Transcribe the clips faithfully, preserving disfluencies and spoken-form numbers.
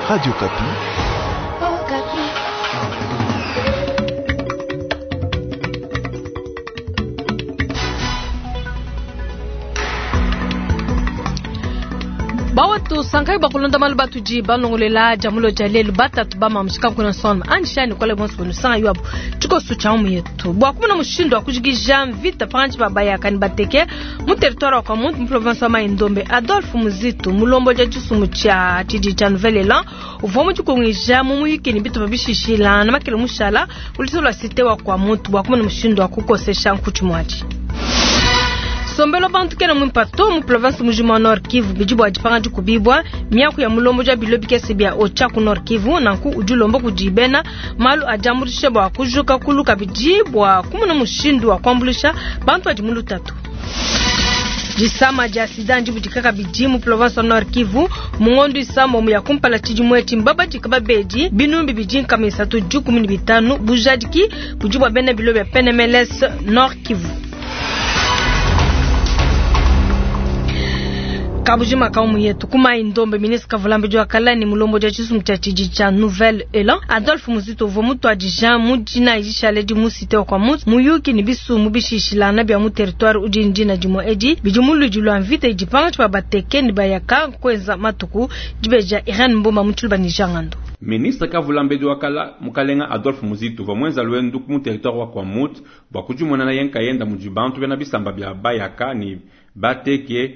Radio Okapi. Bawatu sankai bakulonda malu batudi balongolela jamulo ja lelu batatu bamamshika kuna sona anjishani kwale bonso bonusanga yuabu tshikoso tsha mu yetu bwa kumuna mushindu wa kujikija mvita panji babayaka ni bateke mu territoire wa Kwamuntu mu province wa Mai-Ndombe. Adolphe Muzito mulombo ja tshisumu tsha tshidi tsha Nouvel Elan uvua mudikongija mu muyiki ni bitu babishishila na makele mushala uliso lwa cité wa Kwamuntu bwa kumuna mushindu wa kukosesha nkuchi mwaji sombelo bantu kena mwimpato mu province mujima wa Nord Kivu bidi bwa dipanga dikubibwa miaku ya mulombo ja bilo bikese bya ocha ku Nord Kivu nanku udi ulomba kudibena malu ajambulisha bwa kujuka kuluka bidi bwa kumuna mushindu wa kuambulisha bantu adi mu lutatu. Disama dia sida ndibudika bidi mu province wa Nord Kivu mungondo isambo mu ya kumpala tshidi etshi mbaba dikaba bedi binumbi bidi nkama isatu dikumi ne bitanu bujadiki budi bwa bena bilo bya P N M L S Nord Kivu. Kabujima kaumu yetu kuma Indombe ministre Kavulambi jwa kala ni mulombo ja chisumu cha chiji cha Nouvel Elan Adolphe Muzito uvua mutuadija mudina ijishale di mu cité wa Kwamuntu muyuki ni bisu mubishishilana bya mu territoire udi ndina dimo edi bidi muludi lwa mvita idipanga tshiba bateke ni bayaka kwenza matuku dibeja Irene Mbomba mutshuluba ni jangando. Ministre Kavulambedi wakala mukalenga Adolphe Muzito uvua mwenza lwendu ku mu territoire wa Kwamouth bua kudimuena na yenka yenda mudi bantu bena bisamba bya bayaka ni bateke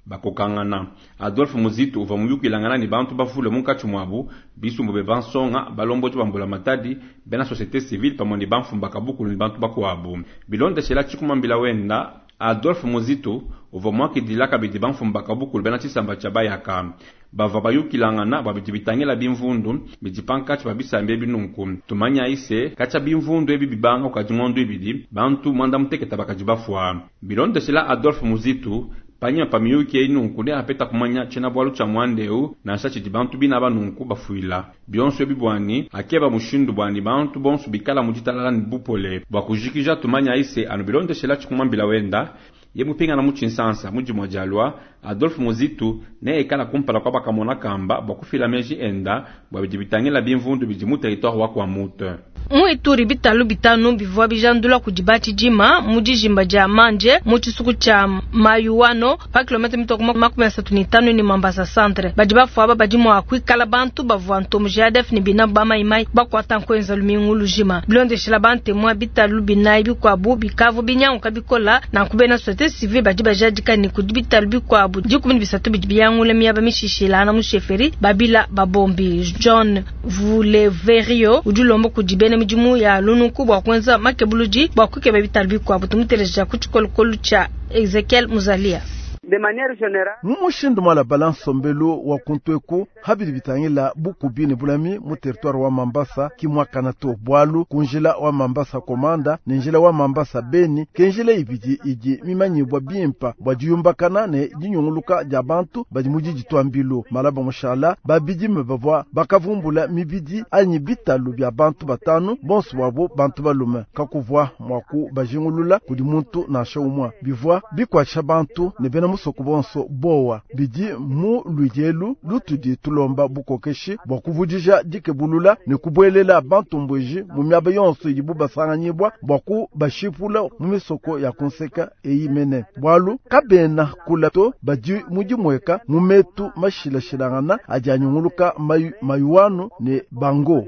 bakokangana. Adolphe Muzito uvua muyukilangana ni bantu bavule munkatshi muabu bisumbu be bansonga balombodi bambula matadi bena société civile pamue ni bamfumu bakabukulu ni bantu bakuabu. Bilondeshela tshikumambila wenda Adolphe Muzito uvua muakidila kabidi bamfumu bakabukulu bena tshisamba tshia bayaka bavua bayukilangana bua bidi bitangila bimvundu bidi pankatshi pa bisamba ebi. Nunku tumanya ise katshia bimvundu ebi bibanga kukadi ngondo ibidi bantu mwanda muteketa bakadi bafua. Bilondeshela Adolphe Muzito panyima pa miyuki eyi nunku ne apeta kumanya tshiena bualu tshia muanda eu nansha tshidi bantu bina banunku bafuila bionso ebi bwani akeba mushindu bwani bantu bonso bikala mu ditalala ni bupole bua kujikija. Tumanya ise anu bilondeshela tshikumambila wenda ye mupingana mu tshinsansa mudimua dialua Adolphe Muzito ne ekala kumpala kwa bakamona kamba bua kufila meji enda bua bidi bitangila bimvundu bidi mu territoire wa Kwamouth. Mu Ituri bitalu bitanu bivua bijandula kudi batshidima mu dijimba dia manje mu tshisuku tshia Mayuano pa kilomètre mitoko makumi asatu ne tanu ni Mambasa centre. Badi bafua aba badi mua kuikala bantu bavua ntomo J A D F ne bina bamaimai bakuata nkuenza lumingu lujima. Bilondeshela bantemua bitalu binayi bikuabu bikavu binyanguka bikola nanku bena société civile badi bajadika ni kudi bitalu bikuabu dikumi ne bisatu bidi biyangula miaba mishishilana mu chefferie Babila Babombi. John Vuleverio udi ulomba kudi bena midimu ya lunuku bua kuenza makebuludi bua kukeba bitalu bikuabu. Tumuteleja ku tshikolokolo tshia Ezekiel Muzalia. Mu mushindu mwalabala nsombelu wa kuntweku habidi bitangila bukubi ne bulami mu territoire wa Mambasa kimwakana to bwalu ku njila wa Mambasa Komanda ne njila wa Mambasa Beni ke njila ibidi idi mimanyibwa bimpa bua diyumbakana ne dinyunguluka dia bantu badi mu diditwa mbilu malaba mushala babidime bavua bakavumbula mibidi anyi bitalu bya bantu batanu bonso bwabo bantu balume kakuvua mua kubajingulula kudi muntu nansha umwa bivua bikuatshisha bantu ne bena musoko bonso bowa. Bidi mu ludielu lutudi tulomba bukokeshi bua kuvudija dikebulula ne kubuelela bantu mbweji mu miaba yonso idibu basanganyibwa bua kubashipula mu misoko ya kunseka eyi mene bwalu kabena kula to badi mudimueka mu metu mashilashilangana adi anyunguluka mayu, mayuanu ne bango.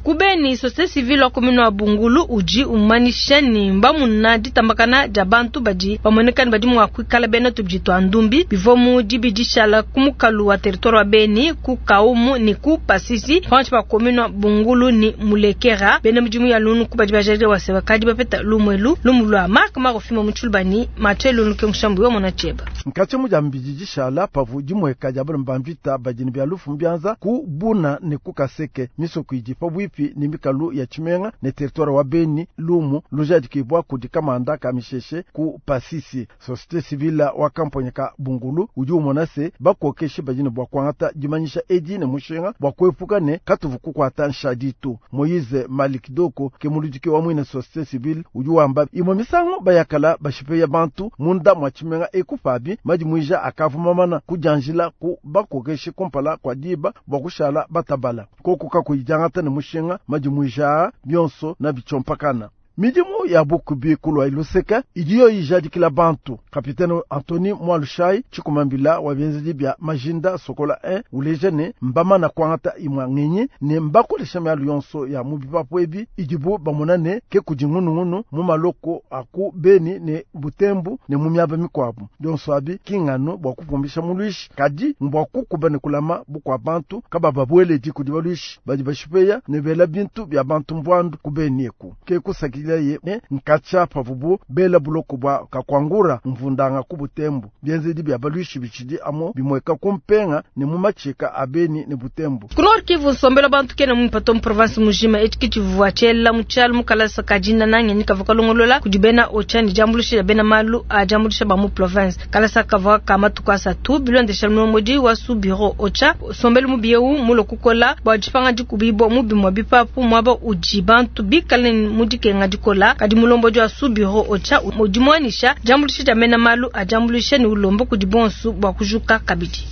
Kubeni société civile wa commune wa Bungulu udi umanisha ni mbamuna ditambakana dia bantu badi bamonekani badi mua kuikala bena tubidi twa ndumbi bivua mu dibidishala ku mukalu wa territoire wa Beni ku Kaumu ni ku Pasisi panshi pa commune wa Bungulu ni Mulekera. Bena midimu ya lunu ku badi bajalile waseba kadi bapeta lumwelu lumu lwa Mark Marofimo mutshulubani Mathieu Lunu ke mushambu yo mona cheba. Nkatshi mu dia mbidi dishala pavu dimueka dia bana ba mvita badi ne bia lufu mbianza ku Buna ne ku Kaseke misoko idi pabuipi ne mikalu ya tshimenga ne territoire wa Beni lumu lujadikibwa kudi kamanda ka misheshe ku Pasisi. Société civile mpanda-njila wa kamponya ka Bungulu udi umona se bakokeshi badi ne bua kuangata dimanyisha edi ne mushinga bua kuepuka ne katuvu kukuata nshaditu. Moise Malikidoko ke muludiki wa mwine société civile udi wamba imwe misangu bayakala bashipeya bantu munda mwa tshimenga ekupabi madimuija akavumamana kudianjila ku bakokeshi kumpala kwa diba bua kushala batabala koko kakuyijangata ne mushinga madimuija bionso na bichompakana. Midimu ya bukubi kulwa iluseka idiyo ijadikila bantu. Kapitene Anthony Mwalushai chikumambila wa bienzedi bya majinda sokola moja uleje ne mbama na kwangata imwa ngenyi ne mbakolesha myalu yonso ya mubipapu ebi idibu bamona ne ke kudi ngunungunu mu maloko aku Beni ne Butembo ne mu miaba mikwabu. Yonso abi kingano bwa kupumbisha mulwishi kadi mbwa kukuba ne kulama bukwa bantu kababa bweledi kudi balwishi badi bashipeya ne bela bintu bya bantu mbwandu ku Beni eku ke kusaki ye ne nkacha pavubu bela buloko bwa kakwangura mvundanga ku Butembo bienzedi bya balwishi bichidi amo bimweka kumpenga ne mu machika abeni ne Butembo. Ku Nord Kivu nsombelo bantu kena mu patom province mujima etiki tshivua tshiela mu tshialu mu kalasa ka dinda nange ni kavua kalongolola kudi bena Ocha ni diambuluisha bena malu a diambuluisha ba mu province. Kalasa kavua ka matuku asatu bilondesha mulombodi wa su bureau Ocha sombelo mu bieu mulo kukola bua dipanga dikubibua mu bimua bipapu muaba udi bantu bikale mu dikenga dikola. Kadi mulombodi wa su bureau Ocha udimwanisha diambuluisha dia bena malu a diambuluisha ni ulombo kudi bonsu bua kujuka kabidi.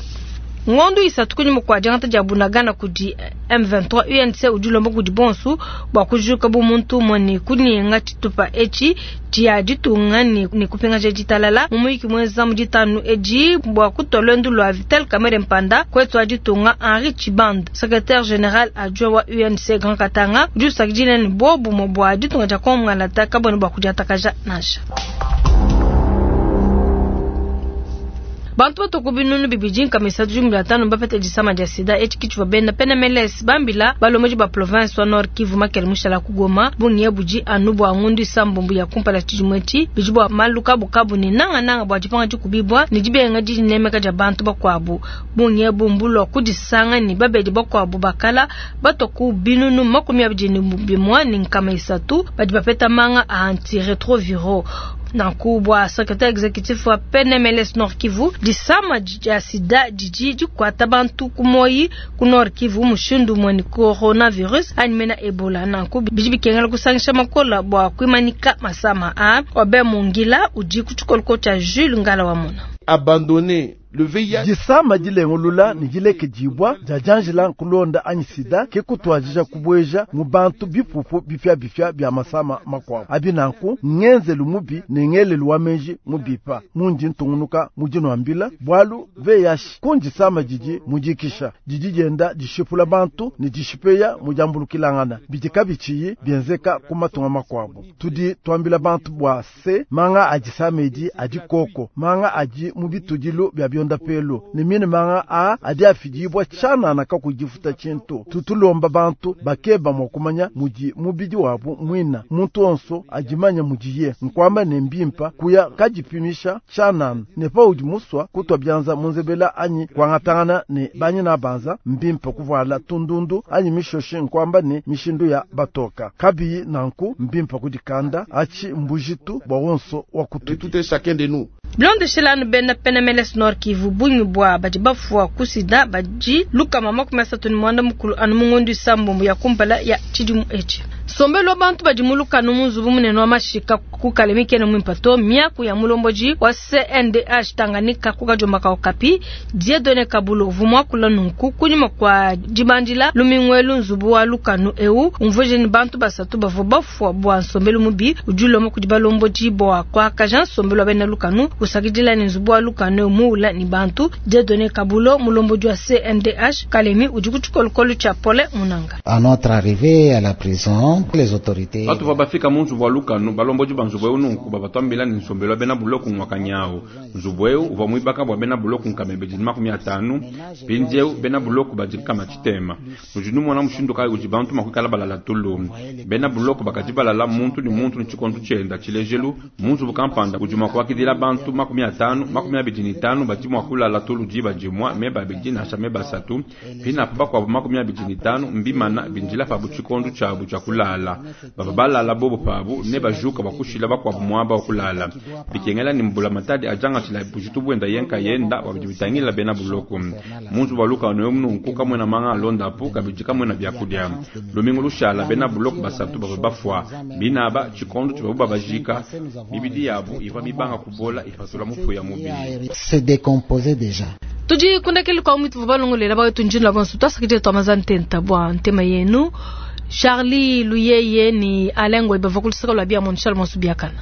Ngondu isatu kunyuma kwa diangata dia Bunagana kudi M vingt-trois U N C udilomba kudi bonsu bua kujuka bu muntu umue kunyenga tshitupa etshi tshia ditunga ni, ni kupingaja ditalala mu muyiki mwenza mu ditanu edi bua kutua lwendu lua Vital Kamerhe Mpanda kwetu wa ditunga Henri Tshibanda secrétaire général adjoint wa U N C Grand Katanga udi usakidila ni bobu mo bua ditunga dia Kongo ngalata kabone bua kudiatakaja nansha. Bantu batoku binunu bibidi nkamisa jumla tano bapete disama dia sida etshi kichwa benda pena meles bambila balomoji ba province wa Nord Kivu makele mushala ku Goma bunye buji anu bwa ngundu isambumbu ya kumpala tshijumweti bijibwa maluka bukabu ni nanga nanga bwa dipanga dikubibwa ni dibenga dinemeka dia bantu bakwabu bunye bumbulo kudisanga ni babedi bakwabu bakala batoku binunu makumi abidi ni bimwa ni nkama isatu badi bapeta manga a antiretroviro. Nankubwa secrétaire exécutif wa P N M L S Nord Kivu disama dia sida didi dikwata bantu kumoyi ku Nord Kivu mushindu mweni coronavirus animena Ebola nanku bidi bikengela kusangisha makola bua kuimanika masama a Obe Mungila udi kutshikoloko tshia Jules Ngala wa Mona. Abandonné le V I H disama dilengulula ni dileke dibwa dia janjila nkulonda anyi sida ke kutwajija kubweja mu bantu bipupu bipya bipya bya masama makwabo abi nanku ngenzelu mubi ne ngelelu wa menji mubipa mundi ntungunuka mujinwambila bwalu V I H kundisama didi mujikisha didi dienda dishipula bantu ni dishipeya mujambulukilangana bidika bichiyi bienzeka kumatunga makwabo tudi twambila bantu bwa se manga adisamedi adikoko manga adi mubitudilu bya byonda pelo ni mine manga a adi afidibwa chana na kakujifuta chintu tutulomba bantu bakeba mwakumanya muji mubidi wabu mwina muntu onso ajimanya mujiye nkwamba ne mbimpa kuya kajipimisha chana ne pa udi muswa kutwa byanza munzebela anyi kwangatangana ne banyi na banza mbimpa kuvala tundundu anyi mishoshi nkwamba ne mishindu ya batoka kabi nanku mbimpa kudikanda achi mbujitu bwa wonso wa kutu tout est chacun de nous. Blonde bena P N M L S Nord Kivu bungi bwa badi bafua kusida badi luka mama kumesa ni mwanda mukulu anu mungondu isambombo ya kumpala ya tshidimu etshi. Sombelo bantu badi muluka numunzu munene wa mashika kukalemike ne mwimpato miaku ya mulomboji wa C N D H Tanganyika kukajomba ka Okapi Dieudonné Kabulo vumwa kula nunku kunyuma kwa dibandila lumingwelu nzubu wa lukanu eu umvuje ni bantu basatu bavua bafua bwa nsombelo mubi ujuloma kudi balomboji bwa kwa kajan sombelo bena lukanu usakidila ni nzubu wa lukanu muula ni bantu Dieudonné Kabulo mulomboji wa C N D H Kalemi udi kutshikolokolo tshia Pole Munanga. À notre arrivée à la prison, les autorités batu bafika mu nzubu wa lukanu balomboji ba nzubu eu nunku babatwambila ni nsombelo bena buloku mwakanyao nzubu eu uvua muibaka bua bena buloku nkamebe didi makumi atanu mpindieu bena buloku badi kama tshitema nudi numona mushindu kayi udi bantu makuikala balala tulu bena buloku bakadi balala muntu ni muntu ni tshikondu tshienda tshilejelu mu nzubu kampanda udi mua kuakidila bantu makumi atanu makumi abidi ni tanu badi mua kulala tulu diba dimua meba abidi nansha meba asatu pinapo bakuabu makumi abidi ni tanu mbimana bindila pabu tshikondu tshiabu tshia kulala. kulala. Bava balala bobo pabu ne bajuka bua kushila bakuabu muaba wa kulala. Bikengela ne mbulamatadi ajangatshila bujitu buenda ye nkayenda bua bidi bitangila bena buloko. Mu nzubu wa lukanu emu nunku kamuena manga alondapu kabidi kamuena biakudia. Lumingu lushala bena buloko basatu bavua bafua binaba tshikondo tshibabu babajika mibidi yabu ivua mibanga kubola ipatula mufuya mubili. Se décomposer déjà. Tudi kundekeli kwa mwitu balongolela bawetu njini la bonso twasakidile twamaza ntenta bua ntema yenu. Charlie Luyeye ni Alain Ngoy bava kulusaka lwa bia Montchal Monsu biakana.